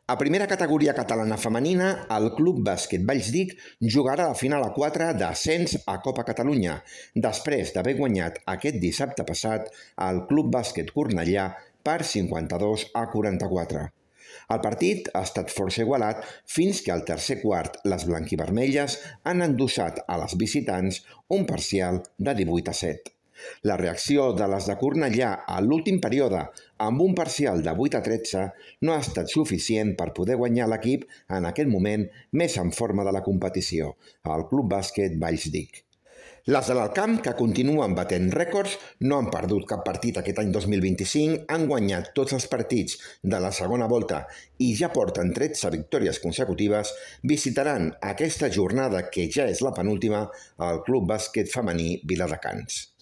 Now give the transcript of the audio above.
A primera categoria catalana femenina, el Club Bàsquet Vallsdic jugarà la final a 4 d'ascens a Copa Catalunya, després d'haver guanyat aquest dissabte passat al Club Bàsquet Cornellà per 52-44. El partit ha estat força igualat fins que al tercer quart les blanquivermelles han endossat a les visitants un parcial de 18-7. La reacció de les de Cornellà a l'últim període amb un parcial de 8-13 no ha estat suficient per poder guanyar l'equip en aquest moment més en forma de la competició, el Club Bàsquet Vallsdic. Les de l'Alcamp, que continuen batent rècords, no han perdut cap partit aquest any 2025, han guanyat tots els partits de la segona volta i ja porten 13 victòries consecutives, visitaran aquesta jornada, que ja és la penúltima, al Club Bàsquet Femení Viladecans.